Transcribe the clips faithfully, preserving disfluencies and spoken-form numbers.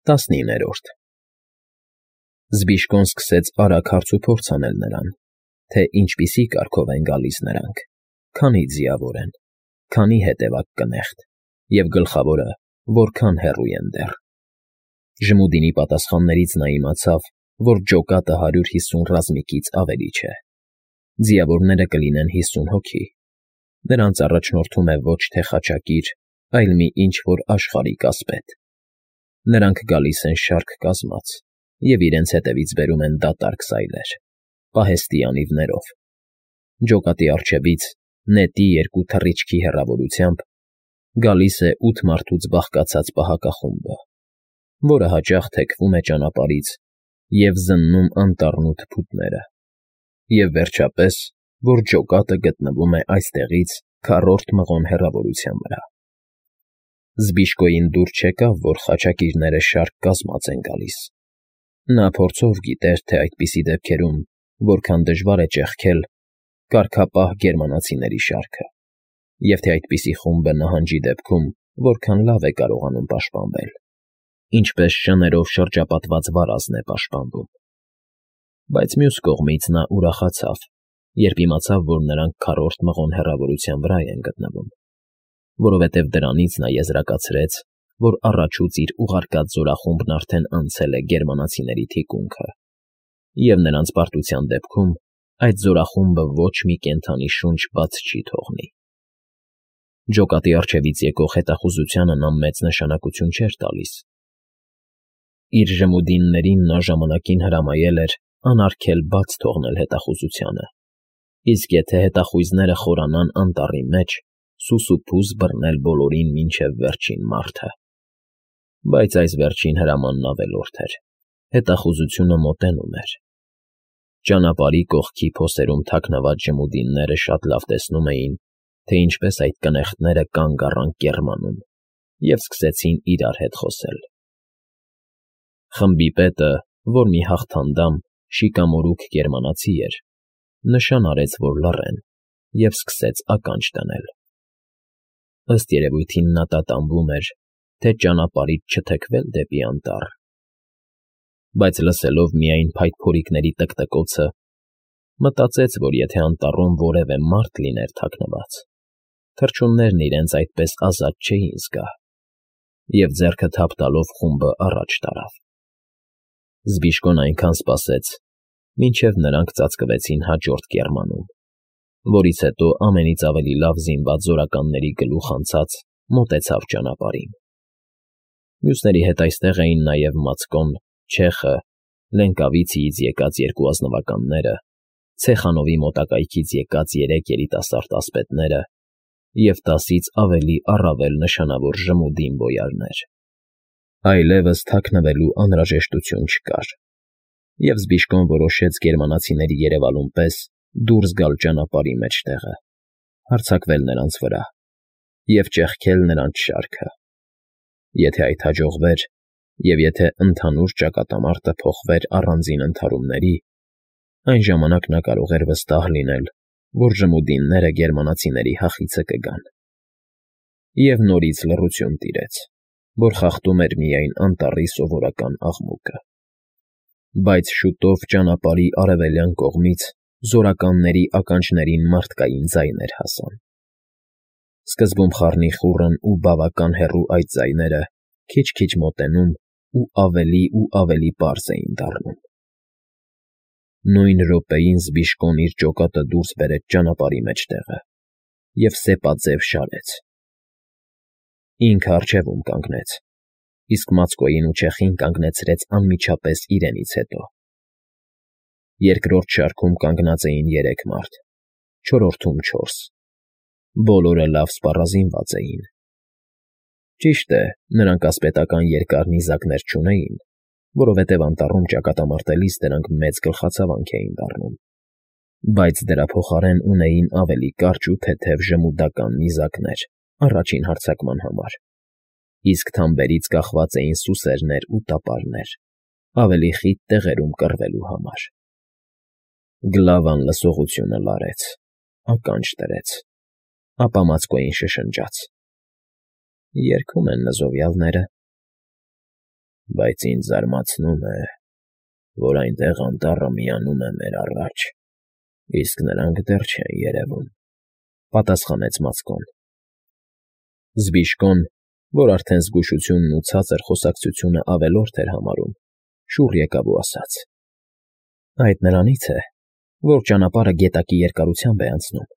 ՏԱՍՆԻՆՆԵՐՈՐԴ Զբիշկոն սկսեց արագ հարցուփորձ անել նրան, թե ինչպիսի կարգով են գալիս նրանք, քանի ձիավոր են, քանի հետևակ կնեղտ և, գլխավորը, որքան հեռու են դեռ. Ժմուդինի պատասխաններից նա իմացավ, որ ջոկատը հարյուր հիսուն ռազմիկից ավելի չէ, ձիավորները կլինեն հիսուն հոգի, նրանց առաջնորդում է ոչ թե խաչակիր, այլ մի ինչ֊որ աշխարհիկ ասպետ, նրանք գալիս են շարք կազմած և իրենց հետևից բերում են դատարկ սայլեր, պահեստի անիվներով, ջոկատի առջևից, նետի երկու թռիչքի հեռավորությամբ, գալիս է ութ մարդուց բաղկացած պահակախումբը, որը հաճախ թեքվում է ճանապարհից և զննում անտառն ու թփուտները, և, վերջապես, որ ջոկատը գտնվում է այստեղից քառորդ մղոն հեռավորության վրա։ Զբիշկոյին դուր չեկավ, որ խաչակիրները շարք կազմած են գալիս. նա փորձով գիտեր, թե այդպիսի դեպքերում որքան դժվար է ճեղքել կարգապահ գերմանացիների շարքը, և թե այդպիսի խումբը նահանջի դեպքում որքան լավ է կարողանում պաշտպանվել, ինչպես շներով շրջապատված վարազն է պաշտպանվում։ Բայց մյուս կողմից նա ուրախացավ, երբ իմացավ, որ նրանք քառորդ մղոն հեռավորության վրա են գտնվում, որովհետև դրանից նա եզրակացրեց, որ առաջուց իր ուղարկած զորախումբն արդեն անցել է գերմանացիների թիկունքը, և նրանց պարտության դեպքում այդ զորախումբը ոչ մի կենդանի շունչ բաց չի թողնի։ Ջոկատի առջևից եկող հետախուզությանը նա մեծ նշանակություն չէր տալիս. իր ժմուդիններին նա ժամանակին հրամայել էր անարգել բաց թողնել հետախուզությանը, իսկ եթե հետախույզները խորանան անտառի մեջ, սուսուփուզ բռնել բոլորին մինչև վերջին մարդը։ Բայց այս վերջին հրամանն ավելորդ էր, հետախուզությունը մոտենում էր։ Ճանապարհի կողքի փոսերում թաքնված ժմուդինները շատ լավ տեսնում էին, թե ինչպես այդ կնեղտները կանգ առան կեռմանում և սկսեցին իրար հետ խոսել։ Խմբի պետը, որ մի հաղթանդամ, շիկամորուք գերմանացի էր, նշան արեց, որ լռեն, և սկսեց ականջ դնել։ Ըստ երևույթին նա տատանվում էր, թե ճանապարհից չթեքվել դեպի անտառ։ Բայց լսելով միայն փայտփորիկների տկտկոցը, մտածեց, որ եթե անտառում որևէ մարդ լիներ թաքնված, թռչուններն իրենց այդպես ազատ չէին զգա, և ձեռքը թափ տալով խումբը առաջ տարավ։ Զբիշկոն այնքան սպասեց, մինչև նրանք ծածկվեցին հաջորդ կեռմանում, որից հետո ամենից ավելի լավ զինված զորականների գլուխ անցած մոտեցավ ճանապարհին։ Մյուսների հետ այստեղ էին նաև Մացկոն, Չեխը, Լենկավիցիից եկած երկու ազնվականները, Ցեխանովի մոտակայքից եկած երեք երիտասարդ ասպետները և տասից ավելի առավել նշանավոր ժմուդին բոյարներ։ Այլևս թաքնվելու անհրաժեշտություն չկար, և Զբիշկոն որոշեց գերմանացիների երևալուն պես դուրս գալ ճանապարհի մեջտեղը, հարձակվել նրանց վրա և ճեղքել նրանց շարքը։ Եթե այդ հաջողվեր, և եթե ընդհանուր ճակատամարտը փոխվեր առանձին ընդհարումների, այն ժամանակ նա կարող էր վստահ լինել, որ ժմուդինները գերմանացիների հախիցը կգան։ Եվ նորից լռություն տիրեց, որ խախտում էր միայն անտառի սովորական աղմուկը։ Բայց շուտով ճանապարհի արևելյան կողմից զորականների ականջներին մարդկային ձայներ հասան։ Սկզբում խառնիխուռն ու բավական հեռու այդ ձայները քիչ֊քիչ մոտենում ու ավելի ու ավելի պարզ էին դառնում։ Նույն րոպեին Զբիշկոն իր ջոկատը դուրս բերեց ճանապարհի մեջտեղը և սեպաձև շարեց։ Ինքը առջևում կանգնեց, իսկ Մացկոյին ու Չեխին կանգնեցրեց անմիջապես իրենից հետո։ Երկրորդ շարքում կանգնած էին երեք մարդ, չորրորդում՝ չորս, բոլորը լավ սպառազինված էին։ Ճիշտ է, նրանք ասպետական երկար նիզակներ չունեին, որովհետև անտառում ճակատամարտելիս դրանք մեծ գլխացավանք էին դառնում, բայց դրա փոխարեն ունեին ավելի կարճ ու թեթև ժմուդական նիզակներ առաջին հարձակման համար, իսկ թամբերից կախված էին սուսերներ ու տապարներ, ավելի խիտ տեղերում կռվելու համար։ Գլավան լսողությունը լարեց, ականջ դրեց, ապա Մացկոյին շշնջաց. «Երգում են նզովյալները»։ Բայց ինձ զարմացնում է, որ այնտեղ անտառը միանում է մեր առաջ, իսկ նրանք դեռ չեն երևում,֊ պատասխանեց Մացկոն։ Զբիշկոն, որ արդեն զգուշությունն ու ցածր խոսակցությունը ավելորդ էր համարում, շուռ եկավ ու ասաց. «Այդ նրանից է, որ ճանապարհը գետակի երկարությամբ է անցնում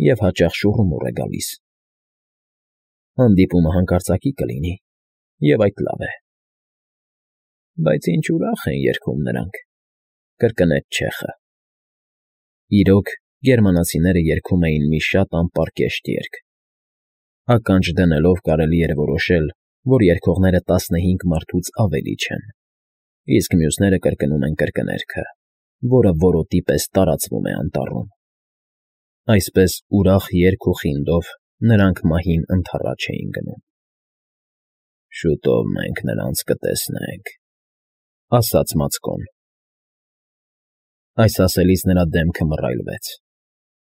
և հաճախ շուռումուռ է գալիս։ Հանդիպումը հանկարծակի կլինի, և այդ լավ է»։ Բայց ինչ ուրախ են երգում նրանք,֊ կրկնեց չեխը։ Իրոք, գերմանացիները երգում էին մի շատ անպարկեշտ երգ։ Ականջ դնելով կարելի էր որոշել, որ երգողները տասնհինգ մարդուց ավելի չեն, իսկ մյուսները կրկնում են կրկներգը, որը որոտի պես տարածվում է անտառում։ Այսպես ուրախ երգ ու խինդով նրանք մահին ընդառաջ էին գնում։ «Շուտով մենք նրանց կտեսնենք,֊ ասաց Մացկոն։ Այս ասելիս նրա դեմքը մռայլվեց,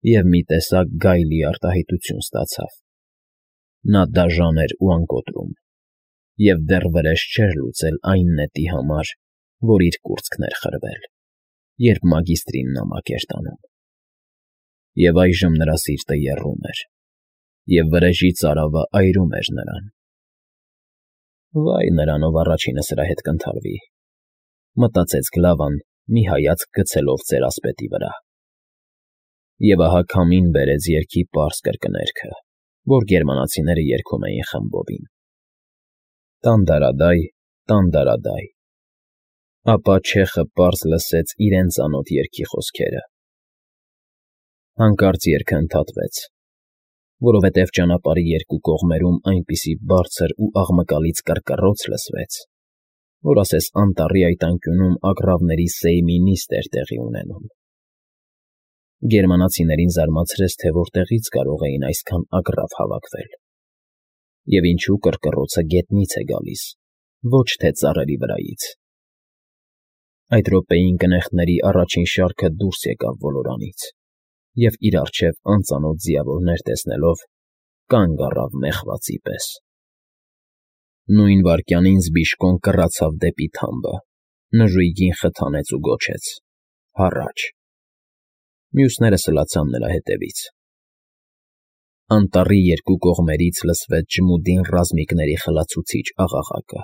և մի տեսակ գայլի արտահայտություն ստացավ։ Նա դաժան էր ու անկոտրում, և դեռ վրեժ չէր լուծել այն նետի համար, որ իր կուրծքն էր խրվել, երբ մագիստրին նամակ էր տանում։ Եվ այժմ նրա սիրտը եռում էր, և վրեժի ծարավը այրում էր նրան։ «Վայ նրան, ով առաջինը սրա հետ կընդհարվի,֊ մտածեց Գլավան, մի հայացք գցելով ծերասպետի վրա։ Եվ ահա քամին բերեց երգի պարզ կրկներգը, որ գերմանացիները երգում էին խմբովին. «Տան֊դարադայ, տան֊դարադայ…»։ Ապա չեխը պարզ լսեց իրեն ծանոթ երգի խոսքերը։ Հանկարծ երգը ընդհատվեց, որովհետև ճանապարհի երկու կողմերում այնպիսի բարձր ու աղմկալից կռկռոց լսվեց, որ ասես անտառի այդ անկյունում ագռավների սեյմի նիստ էր տեղի ունենում։ Գերմանացիներին զարմացրեց, թե որտեղից կարող էին այսքան ագռավ հավաքվել, և ինչու կռկռոցը գետնից է գալիս, ոչ թե ծառերի վրայից։ Այդ րոպեին կնեղտների առաջին շարքը դուրս եկավ ոլորանից և, իր առջև անծանոթ ձիավորներ տեսնելով, կանգ առավ մեղվածի պես։ Նույն վայրկյանին Զբիշկոն կռացավ դեպի թամբը, նժույգին խթանեց ու գոչեց. «Հառաչ»։ Մյուսները սլացան նրա հետևից։ Անտառի երկու կողմերից լսվեց ջմուդին ռազմիկների խլացուցիչ աղաղակը։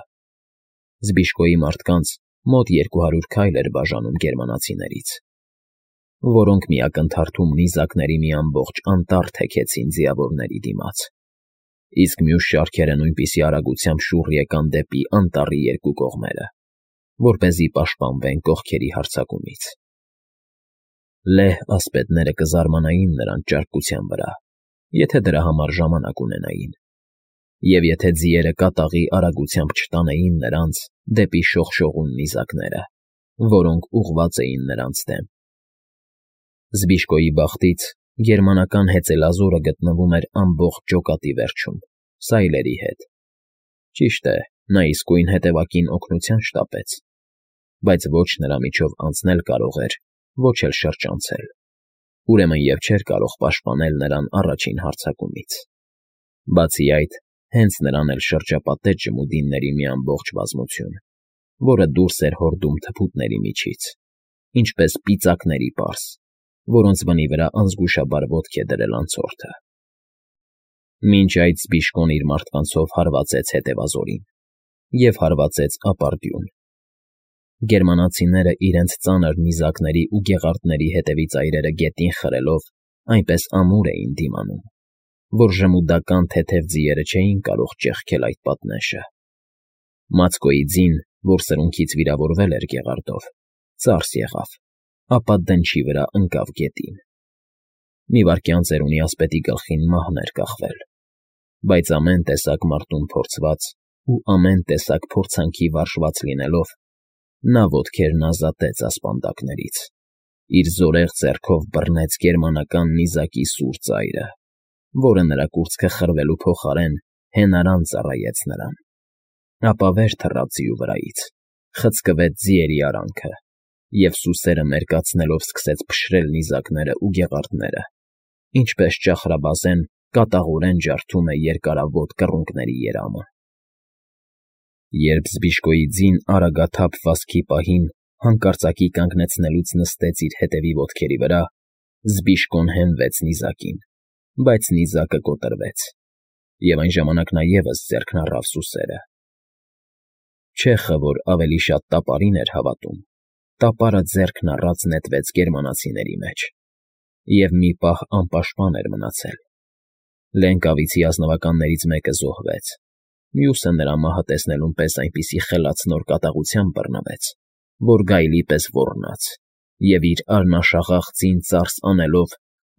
Զբիշկոյի մարդկանց մոտ երկու հարյուր քայլ էր բաժանում գերմանացիներից, որոնք մի ակնթարթում նիզակների մի ամբողջ անտառ թեքեցին ձիավորների դիմաց, իսկ մյուս շարքերը նույնպիսի արագությամբ շուռ եկան դեպի անտառի երկու կողմերը, որպեսզի պաշտպանվեն կողքերի հարձակումից։ Լեհ ասպետները կզարմանային նրանց ճարպկության վրա, եթե դրա համար ժամանակ ունենային, և եթե ձիերը կատաղի արագությամբ չտանեին նրանց դեպի շողշողուն նիզակները, որոնք ուղղված էին նրանց դեմ։ Զբիշկոյի բախտից գերմանական հեծելազորը գտնվում էր ամբողջ ջոկատի վերջում, սայլերի հետ։ Ճիշտ է, նա իսկույն հետևակին օգնության շտապեց, բայց ոչ նրա միջով անցնել կարող էր, ոչ էլ շրջանցել, ուրեմն և չէր կարող պաշտպանել նրան առաջին հարձակումից։ Բացի այդ, հենց նրան էլ շրջապատեց ջմուդինների մի ամբողջ բազմություն, որը դուրս էր հորդում թփուտների միջից, ինչպես պիծակների պարզ, որոնց բնի վրա անզգուշաբար ոտք է դրել անցորդը։ Մինչ այդ Զբիշկոն իր մարդկանցով հարվածեց հետևազորին և հարվածեց ապարդյուն։ Գերմանացիները իրենց ծանր նիզակների ու գեղարդների հետևի ծայրերը գետին խրելով այնպես ամուր էին դիմանում, որ ժմուդական թեթև ձիերը չէին կարող ճեղքել այդ պատնեշը։ Մացկոյի ձին, որ սրունքից վիրավորվել էր գեղարդով, ծարս եղավ, ապա դնչի վրա ընկավ գետին։ Մի վայրկյան ծերունի ասպետի գլխին մահն էր կախվել, բայց ամեն տեսակ մարտում փորձված ու ամեն տեսակ փորձանքի վարժված լինելով, նա ոտքերն ազատեց ասպանդակներից, իր զորեղ ձեռքով բռնեց գերմանական նիզակի սուր ծայրը, որը նրա կուրծքը խրվելու փոխարեն հենարան ծառայեց նրան, ապա վեր թռավ ձիու վրայից, խցկվեց ձիերի արանքը և սուսերը մերկացնելով սկսեց փշրել նիզակները ու գեղարդները, ինչպես ճախրաբազեն կատաղորեն ջարդում է երկարավոտ կռունկների երամը։ Երբ Զբիշկոյի ձին արագաթափ վազքի պահին հանկարծակի կանգնեցնելուց նստեց իր հետևի ոտքերի վրա, Զբիշկոն հենվեց նիզակին, բայց նիզակը կոտրվեց, և այն ժամանակ նա ևս ձեռքն առավ սուսերը. չեխը, որ ավելի շատ տապարին էր հավատում, տապարը ձեռքն առած նետվեց գերմանացիների մեջ, և մի պահ անպաշտպան էր մնացել. Լենկավիցի ազնվականներից մեկը զոհվեց, մյուսը նրա մահը տեսնելուն պես այնպիսի խելացնոր կատաղությամբ բռնվեց, որ գայլի պես ոռնաց և իր արնաշաղախ ձին ծարս անելով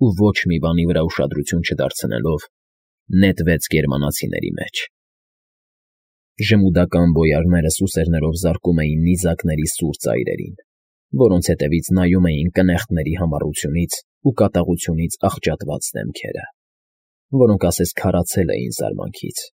ու ոչ մի բանի վրա ուշադրություն չդարձնելով, նետվեց գերմանացիների մեջ։ Ժմուդական բոյարները սուսերներով զարկում էին նիզակների սուր ծայրերին, որոնց հետևից նայում էին կնեղտների համառությունից ու կատաղությունից աղճատված դեմքերը, որոնք ասես քարացել էին զարմանքից։